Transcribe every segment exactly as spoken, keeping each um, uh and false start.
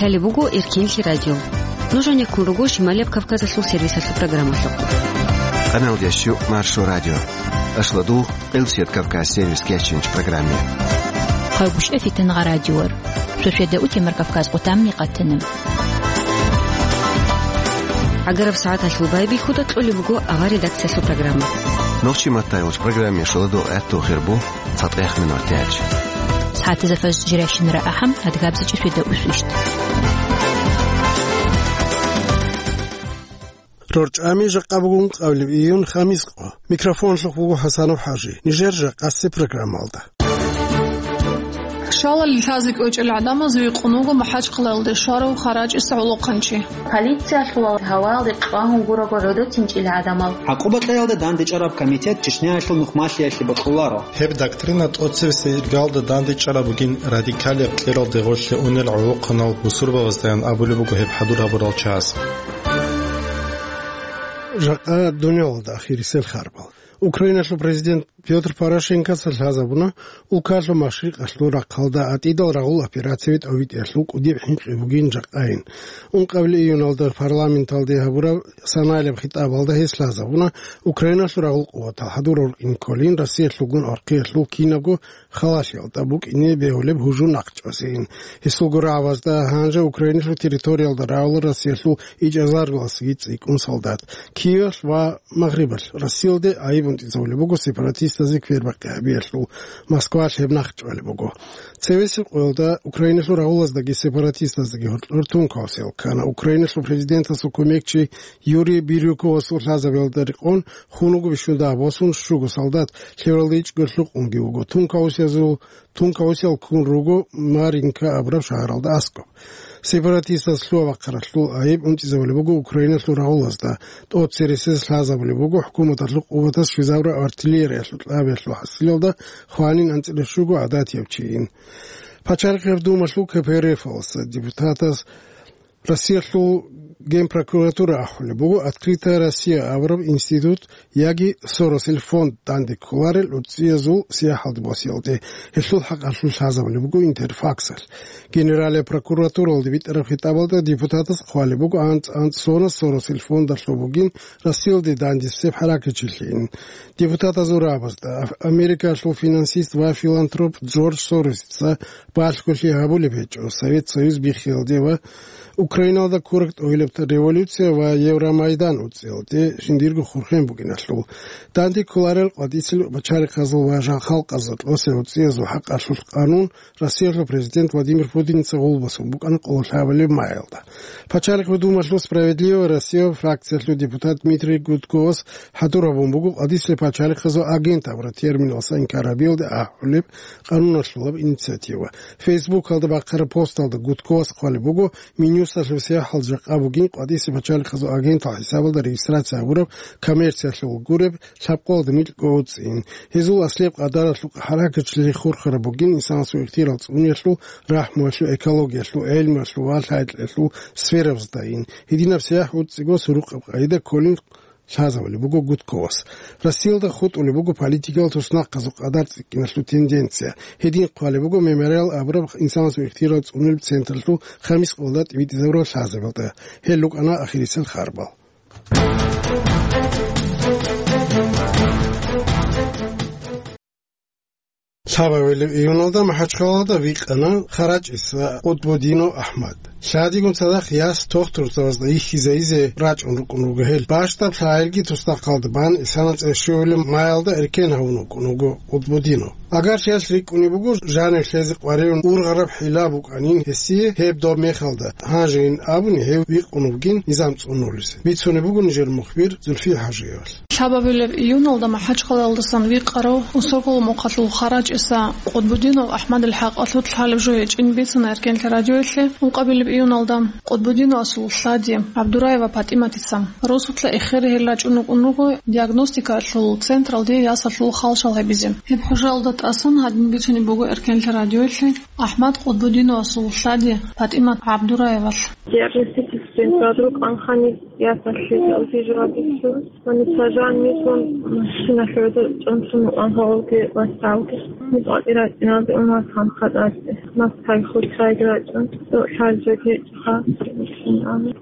Лъалеб буго Эркенлъи радио. Нуж гьанир ккун руго Шималияб Кавказалъул сервисалъул программалъухъ. Къаналда щу Маршо радио. Ашладу Къилсият Кавказ сервис кечинч программе. Хъалгушев Фитнагъа радиор. Шошеда утемар Кавказ къутамни къатана. Агараб сагӀаталъул байбихьуда кьолеб буго авар редакциялъул программа. Нохчи маттайулч программе шоладу гӀатту хирбу. ЦатӀехъ минутач. СагӀатазда фажр жирайщинара ахӀам, адгабзичӀеб шведа усвищ. РорчӀами жакъа бугун къавлеб июн хамис къо. Микрофонлъухъ буго ХӀасанов ХӀажи. Нижер жакъасе программалда. Шалали лъазе кӀвечӀел гӀадамаз вихъун вуго МахӀачхъалаялде щварав ХарачӀиса гӀолохъанчи. Полициялъул гьавалде къагьун гурого гӀодотинчӀил гӀадамал. ГӀакъуба кьеялда дандечӀараб комитет Чечняялъул нухмалъиялъе бокьуларо. Гьеб доктрина тӀоцебесеб иргалда дандечӀараб бугин радикалияб кьералде гъорлъе унел гӀолохъанал бусурбабаздаян абулеб буго гьеб хӀадур гьабурал чияс. Жакъа дунялалда ахирисел харбал. Украиналъул президент Пётр Порошенкоца лъазабуна улкалъул машрикъалъул рахъалда ГӀатӀидал рагъул операция тӀобитӀиялъул кӀудиб хӀинкъи бугин жакъайин. Ункъабилеб июналда парламенталде гьабураб санаялъ хитӀабалда гьес лъазабуна Украиналъул рагъул къуватал хӀадур рукӀин кколин Россиялъулгун архъиялъул кинабго халалъиялда букӀине бегьулеб гьужум нахъчӀвасейин. Гьесулго рагӀабазда гьанже Украиналъул территориялда равала Россиялъул ичӀазаргаласги цӀикӀкӀун солдат. Киевалъ ва Магърибалъ Россиялде гӀайиб унтӀизабулеб буго сепаратистазе квербакъи гьабиялъул, Москвалъ гьеб нахъчӀвалеб буго. Цевесеб къоялда Украиналъул рагъулаздаги сепаратистаздаги гьоркьор тункаусел ккана. Украиналъул президентасул кумекчи Юрий Бирюковасул лъазабиялда рекъон хун вуго бищун дагь босун щуго солдат, лъивалда ичӀго лъукъунги вуго. Тункаусиязул, тункаусиял ккун руго Маринка абураб шагьаралда аскӀоб. Сепаратистаз лъугьа-бахъаралъул гӀайиб унтӀизабулеб буго Украиналъул рагъулазда, тӀоцересез лъазабулеб буго хӀукуматалъул къуватаз щвезабураб артиллериялъул кьабиялъул хӀасилалда хванин анцӀила щуго гӀадатияв чийин. Пачалихъ гьаб думалъул КПРФ-алъа депутатаз Россиялъул генпрокуратура ахӀулеб буго «Открытая Россия» абураб институт яги Соросил фонд данде кколарел гӀурцӀиязул сияхӀалде босиялде, гьелъул хӀакъалъулъ лъазабулеб буго Интерфаксалъ. Генералия прокуратуралде битӀараб хитӀабалда депутатас хъвалеб буго анцӀ-анцӀ сона Соросил фондалъул бугин Россиялде дандесеб хӀаракатчилъин. Депутатазул рагӀабазда Америкалъул финансист ва филантроп Джордж Соросица балъголъи гьабулеб гьечӀо Совет Союз биххиялде ва Украиналда ккураб тӀогьилаб революция ва Евромайдан уцӀиялде жиндирго хурхен бугиналъул. Данде кколарел къватӀисел пачалихъазул ва жал-халкъазул кьосел уцӀиязул хӀакъалъулъ къанун Россиялъул президент Владимир Путинца гъулбасун букӀана къоло лъабабилеб маялда. Пачалихъ гьудумалъул «Справедливая Россия» фракциялъул депутат Дмитрий Гудковас хӀадур гьабун буго къватӀисел пачалихъазул агент абураб терминалъа инкар гьабиялде ахӀулеб къануналъулаб инициатива. Фейсбукалда бахъараб посталда Гудковас хъвалеб буго, Минюсталъул сияхӀал жакъа бугин къватӀисел пачалихъазул агентал хӀисабалда регистрация гьабураб коммерциялъул гуреб лъабкъоялда микьго уцӀцӀин. Гьезул аслияб къадаралъул хӀаракатчилъи хурхараб бугин инсанасул ихтияр цӀуниялъул, рахӀмуялъул, экологиялъул, гӀелмуялъул ва лъай-кьеялъул сферабаздайин. Гьединаб сияхӀ уцӀцӀиго сурукъаб къагӀида кколин лъазабулеб буго Гудковас. Россиялда хутӀулеб буго политикал туснахъазул къадар цӀикӀкӀиналъул тенденция. Гьедин хъвалеб буго «Мемориал» абураб инсанасул ихтияр цӀунилеб централъул хамис къоялда тӀибитӀизабураб лъазабиялда. Гьел рукӀана ахирисел харбал. Лъабабилеб июналда МахӀачхъалада викъана ХарачӀиса Къутбудинов АхӀмад. Лъадигун цадахъ яс тохтурзабазда йихьизайизе рачӀун рукӀун руго гьел. Бащдаб лъагӀелги туснахъалда бан исана цӀешуялъе маялда эркен гьавун вукӀун вуго Къутбудинов. Агар чияс рикӀкӀунеб буго, жанив лъезе къваригӀун ургъараб хӀила букӀанин гьесие гьеб доб мехалда, гьанжейин абуни гьев викъун вугин низам цӀунулесе. Бицунеб буго нижер мухбир Зульфия ХӀажиевалъ. Лъабабилеб июналда МахӀачхъалаялдасан викъарав Усогул мухъалъул ХарачӀиса Къутбудинов АхӀмадил хӀакъалъулъ лъалеб жо гьечӀин бицана Эркенлъи радиоялъе. Ункъабилеб июналда Къутбудиновасул лъади ГӀабдураева ПатӀиматица росулъа эхере гьел рачӀун рукӀун руго диагностикалъул централде ясалъул халшал гьабизе. Гьеб хӀужаялда тӀасан гьадин бицунеб буго Эркенлъи радиоялъе АхӀмад Къутбудиновасул лъади ПатӀимат ГӀабдураевалъ. Диагностический централда рукӀанхъани ясалъе физиологиялъул Ва нуца жаниб машиналъ гӀодор чӀунтун вукӀан гьавалги васавги. МутъатӀи рачӀиналде умасхан хатӀалъе, мас хай хутӀрайги рачӀун, лъалжаги гьечӀоха,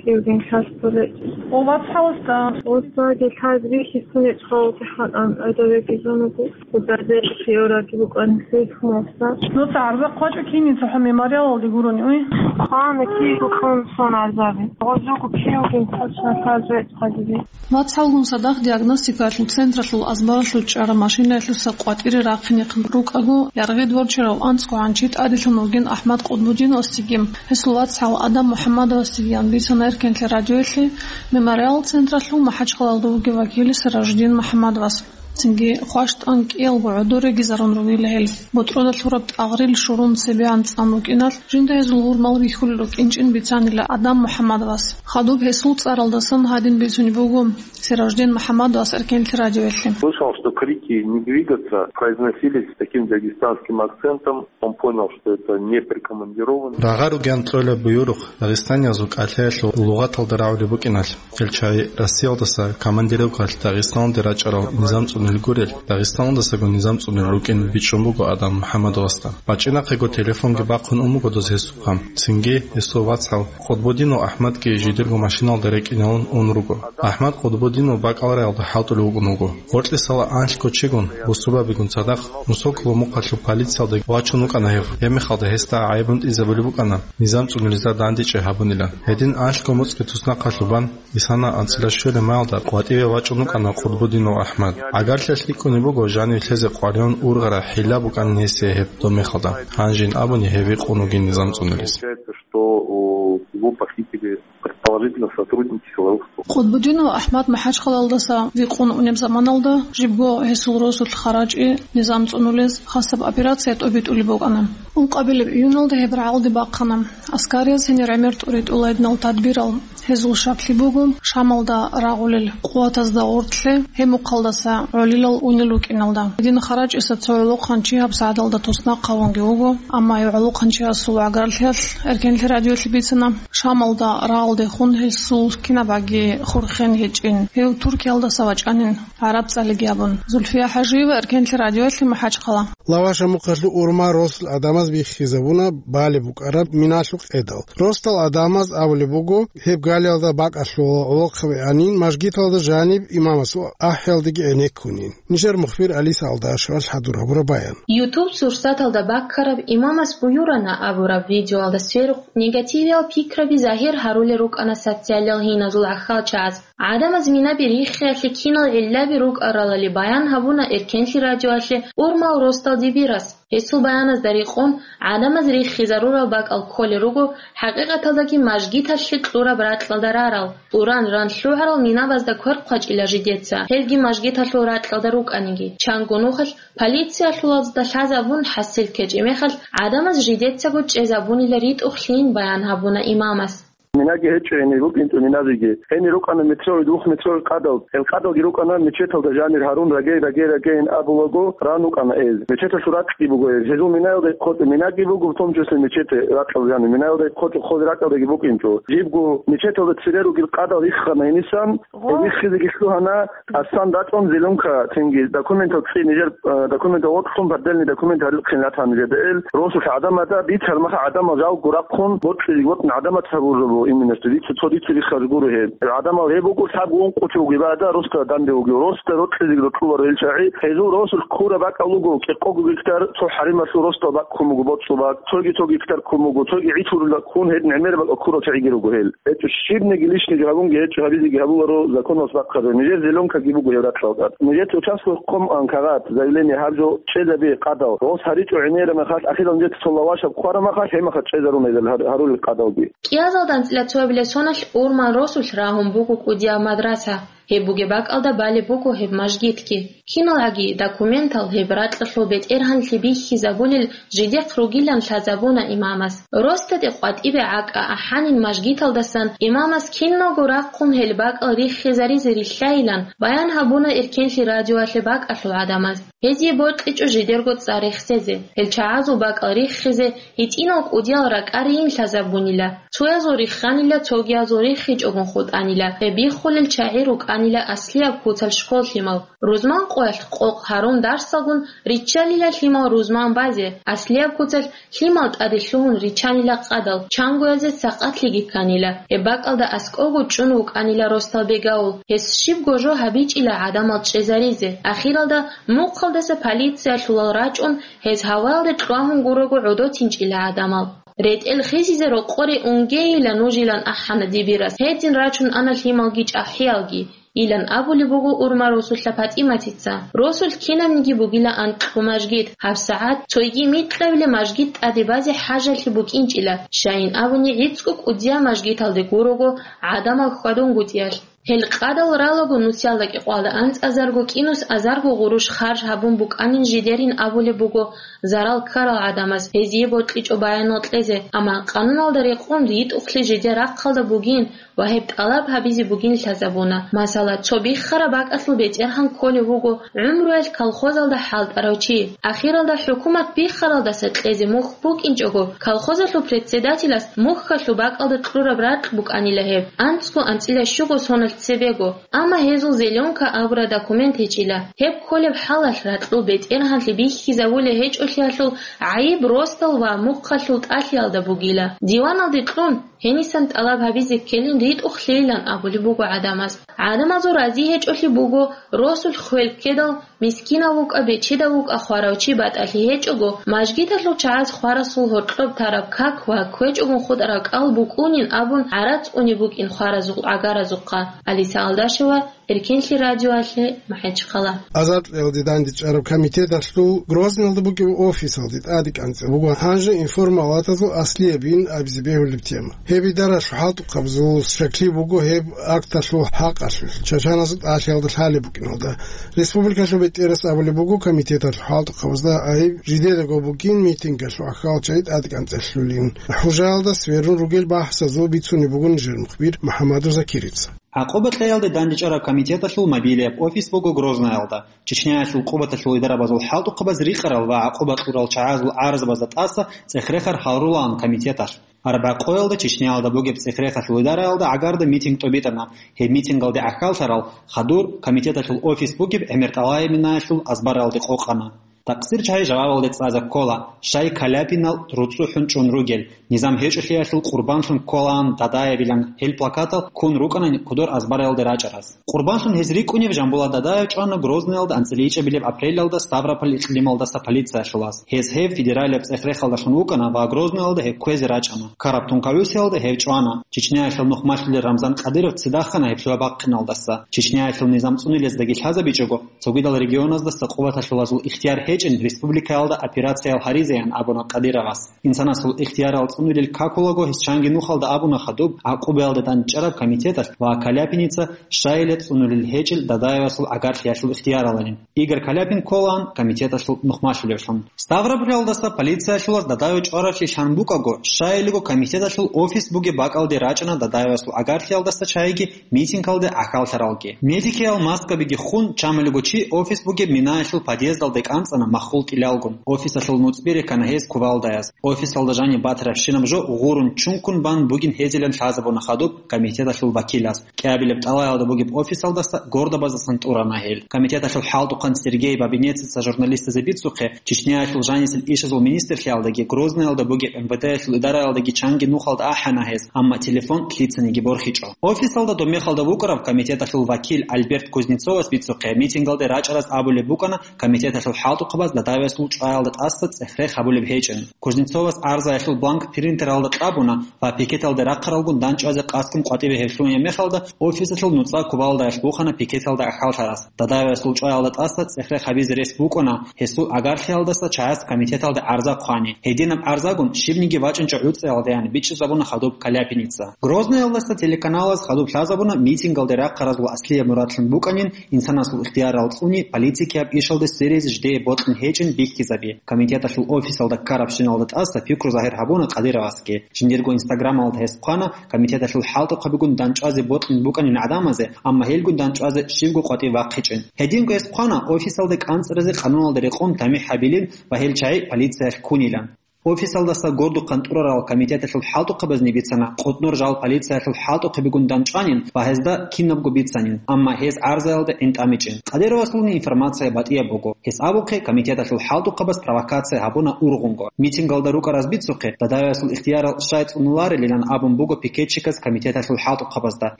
кивгин хасго гьечӀо. Ва вацгӀаласда? ВацгӀалги лъазе бихьизтун гьечӀоха, вугехъан гӀодовеги зун вуго, хъудазе хиораги букӀани лъугьун вацгӀал. Нуца гӀарзахъ вачӀа кинин цохӀо мемориалалде гурони, уй? Хъана киго кьун сон гӀарзаби. Гъозуго кивгин точно лъазе гьечӀоха диде. ВацгӀалгун цадахъ диагностикалъул централъул азбаралъув чӀараб машинаялъуса къватӀире рахъинехъин рукӀаго, яргъи дворчерав анцӀго гӀанчи тӀаделъун вугин АхӀмад Къутбудиновасдеги, гьесул вацгӀал Адам МухӀаммадовасдегиян бицана Эркенлъи радиоялъе мемориал централъул МахӀачхъалалда вугев вакил Сиражудин МухӀаммадовас. Цинги хващтӀан кӀиялго гӀодор регизарун ругила гьел. БутӀруда лъураб тӀагърил шурун цебегӀан цӀан рукӀиналъ, жинда гьезул гьурмал бихьулел рукӀинчӀин бицанила Адам МухӀаммадовас. Хадуб гьесул цӀаралдасан гьадин бицунеб буго Сиражудин МухӀаммадовас Эркенлъи радиоялъе. Слышал, что крики «не двигаться» произносились с таким дагестанским акцентом. Он понял, что это не прикомандированный. Рагъа ругеян кьола буюрухъ Дагъистаниязул кӀалъаялъул лугъаталда рагӀулеб букӀиналъ. Гьел чагӀи Россиялдаса командировкалъ Дагъистаналде рачӀарал низам цӀунил гурел, Дагъистаналдасаго низам цӀунил рукӀин бичӀчӀун буго Адам МухӀаммадовасда. БачӀинахъего телефонги бахъун ун буго доз гьесухъа. Цинги гьесул вацгӀал Къутбудинов АхӀмадги жидерго машиналда рекӀиналун ун руго. АхӀмад Къутбудинов бакӀалараялда хӀалтӀулев вукӀун вуго. Гъоркьисала анлъго чигун, бусурбабигун цадахъ, Мусоково мухъалъул полициялда вачун вукӀана гьев. Гьебмехалда гьесда гӀайиб гьунтӀизабулеб букӀана, низам цӀунулезда дандечӀей гьабунилан. Гьедин анлъго моцӀги туснахъалъубан, Исана анцӀила щвелеб маялда къватӀиве вачӀун вукӀана Къутбудинов АхӀмад. ГӀагарлъиялъ рикӀкӀунеб буго жанив лъезе къваригӀун ургъараб хӀилла букӀанин гьесие гьеб домехалда. Гьанжин абуни гьев вихъун вугин низам цӀунулес. Получается, что у его похитили предположительно сотрудники силовых структур. Къутбудинов АхӀмад МахӀачхъалалдаса вихъун унеб заманалда жибго гьесул росулъ ХарачӀи низам цӀунулез хасаб операция тӀобитӀулеб букӀана. Ункъабилеб июналда гьеб рагӀалде бахъана. Аскарияз гьенир гӀемер тӀуритӀула гьединал тадбирал. Гьезул шаклъи буго Шамалда рагъулел къуватазда гъоркьлъи, гьеб мухъалдаса гӀолилал унел рукӀиналда. Гьедин ХарачӀиса цо гӀолохъанчи гьабсагӀаталда туснахъ гьавунги вуго, амма гьев гӀолохъанчиясул гӀагарлъиялъ Эркенлъи радиоялъе бицана, Шамалда рагъалдехун гьесул кинабаги хурхен гьечӀин, гьев Туркиялдаса вачӀанин, гӀараб цӀалиги абун. Зульфия ХӀажиева, Эркенлъи радиоялъе, МахӀачхъала. Лаваша мухъалъув урмал росул гӀадамаз биххизабуна балеб букӀараб миналъул къедал. Росдал гӀадамаз абулеб буго, гьеб галиялда бакӀалъула гӀолохъаби гьанин мажгиталда жаниб имамасул ахӀиялдеги гӀенеккунин. Нижер мухбир Алиса Алдашевал хӀадур гьабураб баян. YouTube сурсаталда баккараб «Имамас буюрана» абураб видеоялда сверухъ негативиял пикраби загьир гьарулел рукӀана социалиял гьиназул гӀахьалчагӀаз. ГӀадамаз минаби риххиялъе кинал гӀиллаби рукӀаралали баян гьабуна Эркенлъи радиоялъе урмал росдал Дибирас. Гьесул баяназда рекъон, гӀадамаз риххизарурал бакӀал кколел руго хӀакъикъаталдаги мажгиталъе кьураб ракьалда рарал, тӀуран ран лъугӀарал минабазда квер хъвачӀила жидеца, гьелги мажгиталъул ракьалда рукӀаниги. Чанго нухалъ полициялъулазда лъазабун хӀасил ккечӀеб мехалъ, гӀадамаз жидецаго чӀезабунила ритӀухълъин баян гьабуна имамас. Минаги гьечӀо гьенир рукӀинчӀо миназеги. Гьенир рукӀана метровый, двухметровый къадал. Гьел къадалги рукӀана мечеталда жанир гьарун, рагей, рагей, рагейин абулаго ран рукӀана гьез. Мечеталъул ракьги буго гьез. Гьезул минаялда хъочӀо минаги буго, в том числе мечети ракьал жанир. Минаялда хъочӀо хъозе ракьалдаги букӀинчӀо. Жибго мечеталда цере ругел къадал иххана гьенисан, гьел иххизеги лъугьана, асан дачӀун зеленка, цинги документал цӀи нижер, э, документал вокьун, поддельный документ гьарилхъин ратана нижеда ил. Росулъ гӀадамазда бицар маха гӀадамал жалго рахъун, бокьилиг вокьун гӀадамаз гьабурабу, именно что дицу цо дицу риххаз гуро гьеб. ГӀадамал гьеб буго лъабго ункъо чуги бада росда данде вугев, росда рокьилиг рокьуларо ил чагӀи. Гьезул росулъ ккураб бакӀал руго кӀикъого гектар, цо хӀарималъул росдал бакӀ ккун буго боцӀул бакӀ, цоги цо гектар ккун буго, цоги гӀитӀурила ккун гьед гӀемер бакӀал ккурал чагӀиги руго гьел. ГьечӀо щибниги лишниги гьабунги гьечӀо, гьабизеги гьабуларо законалъ бахъаза. Нижер зеленкаги буго гьев ракьалда. Нижеца участковый къом ан кагъат, заявление гьаб жо чӀезабе къадал. Гъос гьаричӀо гӀемера махалъ, ахирал нижеца цо лавашаб кквара махалъ, гьеб махалъ чӀезаруна гьел гьар-, гьарулел къадалги. КӀиазалда анцӀила цоабилеб соналъ урман росулъ рагьун буго кӀудияб мадраса. Гьеб бугеб бакӀалда балеб буго гьеб мажгитги. КиналгӀаги документал гьеб ракьалъул бетӀергьанлъи бихьизабулел жидехъ ругилан лъазабуна имамас. РосдатӀе къватӀибе гӀакӀа ахӀанин мажгиталдасан имамас киналго рахъун гьел бакӀал риххизаризе рилълъайилан баян гьабуна Эркенлъи радиоялъе бакӀалъул гӀадамаз. Гьезие бокьичӀо жидерго цӀар рехсезе, гьел чагӀазул бакӀал риххизе, гьитӀинал кӀудиял ракӀарийин лъазабунила. Цоязул рихханила, цогиязул риххичӀогун хутӀанила, гьеб биххулел чагӀи рукӀа анила аслияб куцалъ школ лъимал. Рузман къоялъ къокъ гьарун дарсалгун риччалила лъимал рузман базе, аслияб куцалъ лъимал тӀаде лъугьун риччанила къадал, чангоязе цакъатлъиги кканила. Гьеб бакӀалда аскӀовго чӀун вукӀанила росдал бегавул, гьес щибго жо гьабичӀила гӀадамал чӀезаризе. Ахиралда мухъалдаса полициялъулал рачӀун, гьез гьаваялде кьвагьун гурого гӀодотинчӀила гӀадамал. РетӀел хисизе рокъоре унгейила нужилан ахӀана дибирас. Гьедин рачун ана лъималги чӀахӀиялги, илан абулеб буго урма росулъа ПатӀиматица. Росулъ кинабниги бугила анкьго мажгит. ГьабсагӀат цойги микьабилеб мажгит тӀаде базе хӀажалъи букӀинчӀила, щайин абуни гӀицӀго кӀудияб мажгиталде гурого гӀадамал хьвадунгутӀиялъ. Гьел къадал ралаго нусиялда кӀикъоялда анцӀазарго кӀинус азарго гъурущ харж гьабун букӀанин жидерин абулеб буго зарал ккарал гӀадамаз гьезие бокьичӀо баянал кьезе, амма къануналда рекъон йитӀухълъи жидер рахъалда бугин ва гьеб тӀалаб гьабизе бугин лъазабуна. Масала, цо биххараб бакӀалъул бетӀергьан кколев вуго гӀумруялъ колхозалда хӀалтӀарав чи. Ахиралда хӀукумат биххаралдаса кьезе мухь букӀинчӀого, колхозалъул председателас мухьалъул бакӀалда кьураб ракь букӀанила гьеб, анцӀго анцӀила щуго соналъ цебего. Амма гьезул зеленка абураб документ гьечӀила. Гьеб кколеб хӀалалъ ракьул бетӀергьанлъи бихьизабулеб гьечӀолъиялъул гӀайиб росдал ва мухъалъул тӀалъиялда бугила. Диваналде кьун, гьенисан тӀалаб гьабизе ккелин ритӀухълъейилан абулеб буго гӀадамаз. ГӀадамазул рази гьечӀолъи буго, росулъ хвел ккедал, мискинав вукӀа, бечедав вукӀа хварав чи батӀалъи гьечӀого, мажгиталъул чагӀаз хварасул гьоркьоб тараб как ва кквечӀогун хутӀараб кӀал букӀунин абун гӀарац унеб букӀин хваразул гӀагаразухъа. Алиса Алдашева, Эркенлъи радиоялъе, МахӀачхъала. Азадлъиялде дандечӀараб комитеталъул Грозныйалда бугеб офисалде тӀаде кӀанцӀе буго гьанже информалатазул аслиябин абизе бегьулеб тема. Гьеб идаралъул хӀалтӀухъабазул щаклъи буго гьеб акталъул хӀакъалъулъ, чачаназул тӀалъиялда лъалеб букӀиналда. Республикалъул бетӀерас абулеб буго комитеталъул хӀалтӀухъабазда гӀайиб жидедаго бугин митингалъул ахьал чагӀи тӀаде кӀанцӀелъулин. ХӀужаялда сверун ругел бахӀсазул бицунеб буго нижер мухбир МухӀаммадов Закирица. ГӀакъуба кьеялде дандечӀараб комитеталъул мобилияб офис буго Грознаялда. Чечняялъул къуваталъул идарабазул хӀалтӀухъабаз рикъарал ва гӀакъуба кьурал чагӀазул гӀарзабазда тӀаса цӀех-рехар гьарулаан комитеталъ. Арбякъоялда Чечняялда бугеб цӀех-рехалъул идараялда гӀагарда митинг тӀубитӀана. Гьеб митингалде гӀахьаллъарал хадур комитеталъул офис бугеб ГӀемертӀалаяб минаялъул азбаралде къокъана. Такъсир чагӀи жавабалде цӀазе ккола, щай Каляпинал руцӀцӀухӀун чӀун ругел, низам гьечӀолъиялъул къурбанлъун кколаан Дадаевилан гьел плакатал ккун рукӀана кодор азбаралде рачӀараз. Къурбанлъун гьез рикӀкӀунев Жамбулат Дадаев чӀвана Грозныялда анцӀила ичӀабилеб апрелалда Ставрополь икълималдаса полициялъулаз. Гьез гьев федералияб цӀех-рехалдалъун вукӀана ва Грозныялда гьев кквезе рачӀана. Караб тункаэсиялда гьев чӀвана. Чечняялъул нухмалъулел Рамзан Кадыров ццидахъана гьеб лъугьа бахъиналдаса. Чечняялъул низам цӀунилездаги лъазабичӀого, цогидал регионаздаса къуваталъулазул ихтияр гьечӀин республикаялда операциял гьаризеян абуна Кадыровас. Инсанасул ихтиярал цӀунилел какулаго гьес чанги нухалда абуна хадуб, гӀакъубаялда дандчӀараб комитеталъ ва Каляпиница щайила цӀунулел гьечӀел Дадаевасул гӀагарлъиялъул ихтияралалин. Игорь Каляпин кколаан комитеталъул нухмалъулевлъун. Ставропольалдаса полициялъулаз Дадаев чӀваравлъи лъан букӀаго, щайилго комитеталъул офис бугеб бакӀалде рачӀана Дадаевасул гӀагарлъиялдаса чагӀиги митингалде гӀахьаллъаралги. Медикиял маскабиги хун, чамалиго чи офис бугеб минаялъул подъездалде кӀанцӀана маххул тӀилалгун. Офисалъул нуцӀби рекана гьез кувалдаяз. Офисалда жаниб батарабщинаб жо гъурун чункун бан бугин гьезилан лъазабуна хадуб комитеталъул вакилас. КӀиабилеб тӀалаялда бугеб офисалдаса гордабаздасан тӀурана гьел. Комитеталъул хӀалтӀухъан Сергей Бабинецица журналистазе бицухъе, Чечняялъул жанисел ишазул министрлъиялдаги, Грозныялда бугеб МВД-ялъул идараялдаги чанги нухалда ахӀана гьез, амма телефон лъицаниги борхичӀо. Офисалда доб мехалда вукӀарав комитеталъул вакил Альберт Кузнецовас бицухъе, митингалде рачӀараз абулеб букӀана комитеталъул хӀалтӀухъабаз Дадаевасул чӀваялда тӀаса цӀех-рех гьабулеб гьечӀин. Кузнецовас гӀарзаялъул бланк принтералда кьабуна ва пикеталде рахъаралгун дандчӀвазе къасдун къватӀибе гьеб лъугьунеб мехалда, офисалъул нуцӀа кувалдаяш бухана пикеталда гӀахьаллъарас. Дадаевасул чӀваялда тӀаса цӀех-рех гьабизе рес букӀана, гьесул гӀагарлъиялдаса чагӀаз комитеталде гӀарза хъвани. Гьединаб гӀарзагун щибниги вачӀинчӀо гӀуцӀиялдаян бичӀчӀизабуна хадуб Каляпиница. Грозныялдаса телеканалаз хадуб лъазабуна митингалде рахъаразул аслияб мурадлъун букӀанин, инсанасул ихтиярал цӀуни политикияб ишалде сверизе жидее бокьун гьечӀин бихьизаби. Комитеталъул офисалда ккарабщиналда тӀаса пикру загьир гьабуна Кадыровасги. Жиндирго инстаграмалда гьес хъвана комитеталъул хӀалтӀухъабигун дандчӀвазе бокьун букӀанин гӀадамазе, амма гьелгун дандчӀвазе щибго къватӀив вахъичӀин. Гьединго гьес хъвана офисалде кӀанцӀаразе къануналда рекъон тамихӀ гьабилин ва гьел чагӀи полициялъ ккунилан. Офисалдаса гордухъан тӀурарал комитеталъул хӀалтӀухъабазни бицана, къотӀнор жал полициялъул хӀалтӀухъабигун дандчӀванин ва гьезда кинабго бицанин, амма гьез гӀарзаялда гӀин тӀамичӀин. Къадировасулни информация батӀияб буго. Гьес абухъе, комитеталъул хӀалтӀухъабаз провокация гьабуна ургъунго. Митингалда рукӀараз бицухъе, Дадаевасул ихтиярал щай цӀунуларилилан абун буго пикетчиказ комитеталъул хӀалтӀухъабазда.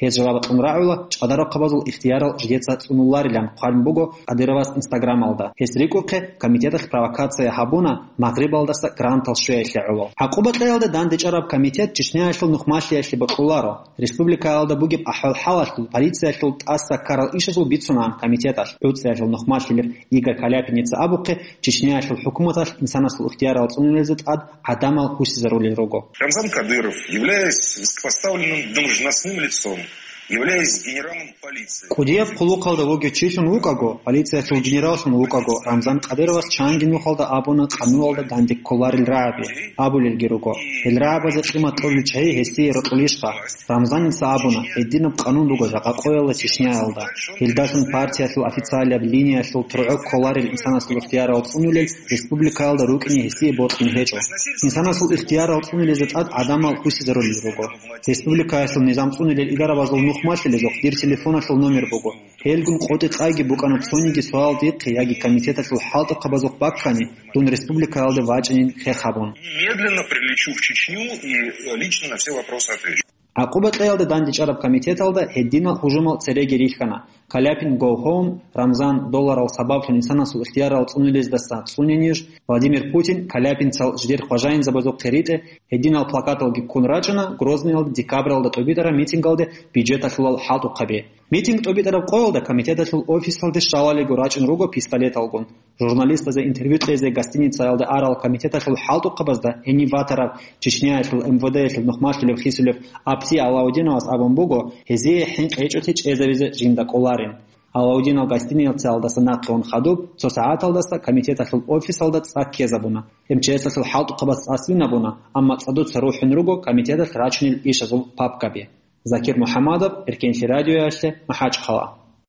Гьез жаваб кьун рагӀула, ЧӀадарухъабазул ихтиярал жидеца цӀунуларилан хъван буго Къадировас Инстаграмалда. Гьес рикӀухъе, комитеталъ провокация гьабуна, Магърибалдаса грантал щвеялъе гӀоло. ГӀакъуба кьеялда дандечӀараб комитет Чечняялъул нухмалъиялъе бокьуларо. Республикаялда бугеб ахӀвал-хӀалалъул, полициялъул тӀаса ккарал ишазул бицунаан комитеталъ, гӀуцӀиялъул нухмалъилев Игорь Каляпиница абухъе, Чечняялъул хӀукуматалъ инсанасул ихтиярал цӀунулезе тӀад гӀадамал гьусизарулел руго. Рамзан Кадыров, являясь высокопоставленным должностным лицом, являясь генералом полиции. КӀудияб хъулухъалда вугев чилъун вукӀаго, полициялъул генераллъун вукӀаго, Рамзан Кадыровас чанги нухалда абуна къануналда данде кколарел рагӀаби, абулелги руго. Гьел рагӀабазе къимат кьолел чагӀи гьесие рокьулищха? Рамзаница абуна, гьединаб къанун буго жакъа къоялда Чечняялда. Гьелдалъун партиялъул официалияб линиялъул тургӀо кколарел инсанасул ихтиярал цӀунулел республикаялда рукӀине гьесие бокьун гьечӀо. Инсанасул ихтиярал цӀунулезе тӀад гӀадамал гьусизарулел руго. Республикаялъул низам цӀунулел идарабазул нухмалъилезухъ дир телефоналъул номер буго. Гьелгун къотӀи-къайги букӀана цониги суал дихъе яги комитеталъул хӀалтӀухъабазухъ баккани, дун республикаялде вачӀинин хех гьабун. Медленно прилечу в Чечню и лично на все вопросы отвечу. ГӀакъуба кьеялда дандечӀараб комитеталда гьединал гьужумал цереги рихьана. Каляпин Go Home, Рамзан долларал сабаблъун инсанасул ихтиярал цӀунулездаса цӀунениж, Владимир Путин Каляпинцал жидер хважаинзабазухъе ритӀе гьединал плакаталги ккун рачӀана Грозныйалда декабралда тӀубитӀараб митингалде бюджеталъулал хӀалтӀухъаби. Митинг тӀубитӀараб къоялда комитеталъул офисалде щалалиго рачӀун руго пистолеталгун. Журналистазе интервью кьезе гостиницаялда арал комитеталъул хӀалтӀухъабазда гьенив ватарав Чечняялъул МВД-ялъул нухмалъулев хисулев Апти Алаудиновас абун буго, гьезие хӀинкъи гьечӀолъи чӀезабизе жинда кӀоларин. Алаудинов гостиницаялдаса нахъе ун хадуб, цо сагӀаталдаса комитеталъул офисалда цӀа ккезабуна. МЧС-алъул хӀалтӀухъабаз цӀа свинабуна, амма цӀадуца рухӀун руго комитеталъ рачунел ишазул папкаби. Закир МухӀаммадов, Эркенлъи радиоялъе, МахӀачхъала.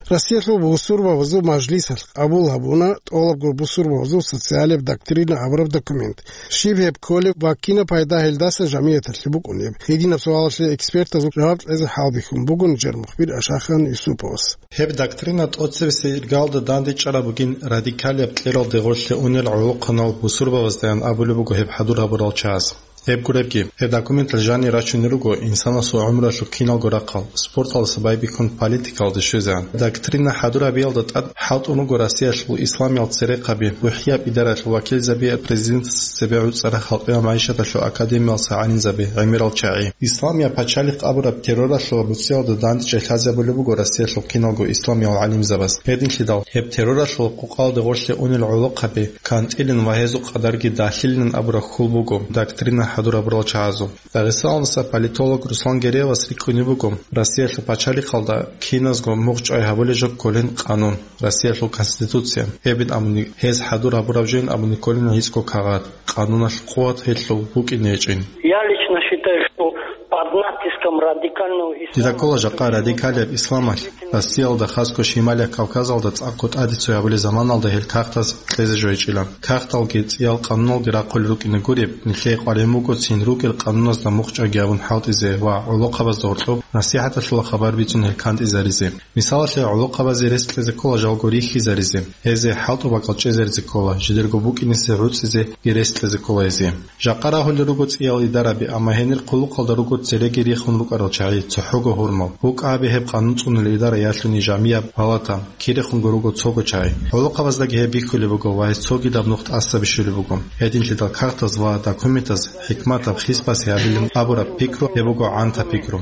Россиялъул бусурбабазул мажлисалъ къабул гьабуна тӀолабго бусурбабазул социалияб доктрина абураб документ. Щиб гьеб кколеб ва кинаб пайда гьелдаса жамияталъе букӀунеб? Гьединаб суалалъе экспертазул жаваб кьезе хӀалбихьун буго нижер мухбир Ашахан Юсуповас. Гьеб доктрина тӀоцебесеб иргалда дандечӀараб бугин радикалияб кьерал дегъолъе унел гӀолохъанал бусурбабаздаян абулеб буго гьеб хӀадур гьабурал чагӀаз. Гьеб гуребги, гьеб документалъ жанир рачунел руго инсанасул гӀумралъул киналго рахъал, спорталдаса байбихьун политикалде щвезегӀан. Доктрина хӀадур гьабиялда тӀад хӀалтӀун руго Россиялъул исламиял церехъаби, бухӀияб идаралъул вакилзаби президентасда цебе гӀуцӀарал халкъиял магӀишаталъул академиялдаса гӀалимзаби, гӀемерал чагӀи. Исламияб пачалихъ абураб терроралъул буцӀиялда дандечӀей лъазабулеб буго Россиялъул киналго исламиял гӀалимзабаз. Гьединлъидал гьеб терроралъул къукъалде гъорлъе унел гӀолохъаби, кантӀилин ва гьезул къадарги далъилин абураб хьул буго доктрина хӀадур гьабурал чагӀазул. Дагъистаналдаса политолог Руслан Гереевас рикӀкӀунеб буго, Россиялъул пачалихъалда киназго мугъчӀвай гьабулеб жо кколин къанун, Россиялъул Конституция. Гьебин абуни, гьез хӀадур гьабураб жойин абуни кколин гьицӀго кагъат, къануналъ къуват гьелъул букӀине гьечӀин. Я лично считаю, что под натиском радикального ислама... Дида ккола жакъа радикалияб исламалъ Россиялда, хасго Шималияб Кавказалда цӀакъго тӀаде цо гьабулеб заманалда гьел кагътаз кьезе жо гьечӀила. Кагъталги цӀиял къануналги рахъулел рукӀине гуреб, нилъее къваригӀун буго цин рукӀел къануназда мугъчӀвайги гьабун хӀалтӀизе ва гӀолохъабазда гьоркьоб насихӀаталъула хабар бицун гьел кантӀизаризе. Мисалалъе, гӀолохъабазе рес кьезе ккола жалго рихьизаризе, гьезие хӀалтӀу бакӀал чӀезаризе ккола, жидерго букӀинисе гӀуцӀизеги рес кьезе ккола гьезие. Жакъа рагьулел руго цӀиял идараби, амма гьенир хъулухъалда руго цереги рихун рукӀарал чагӀи, цохӀого гьурмал. БукӀа гьабе гьеб къанун цӀунулел идара ялъуни жамияб палата, кирехунго руго цого чагӀи. ГӀолохъабаздаги гьеб бихьулеб буго ва гьез цогидаб нух тӀаса бищулеб буго. Гьединлъидал кагътаз ва документаз хӀикматаб хисбасе гьабилин абураб пикру гьеб буго гӀанта пикру.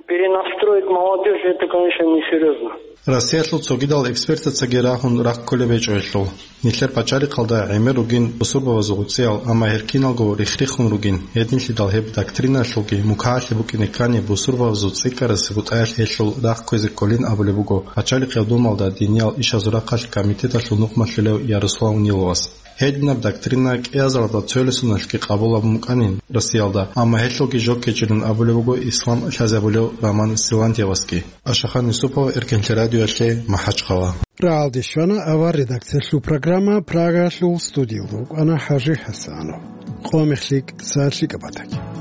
Перенастроить молодёжь, это, конечно, несерьёзно. Россиялъул цогидал экспертацаги рагьун рахъулеб гьечӀо гьелъул. Нилъер пачалихъалда гӀемер ругин бусурбабазул гӀуцӀиял, амма гьел киналго рихх-риххун ругин. Гьединлъидал гьеб доктриналъулги мукагӀалъе букӀине ккани, бусурбабазул цӀикӀкӀарасеб бутӀаялъ гьелъул рахъ кквезе кколин абулеб буго пачалихъ гьаб думалда диниял ишазул рахъалъ комитеталъул нухмалъулев Ярослав Ниловас. Гьединаб доктрина кӀиазаралда цоясуналъги къабул гьабун букӀанин Россиялда, амма гьелъулги жо ккечӀилан абулеб буго ислам лъазабулев Роман Силантьевасги. Ашахан Юсупов, Эркенлъи радиоялъе, МахӀачхъала. Рагьалде щвана авар редакциялъул программа, Прагалъул студиялда вукӀана ХӀажи ХӀасанов. Къо мех лъикӀ, са лъикӀаб батаги.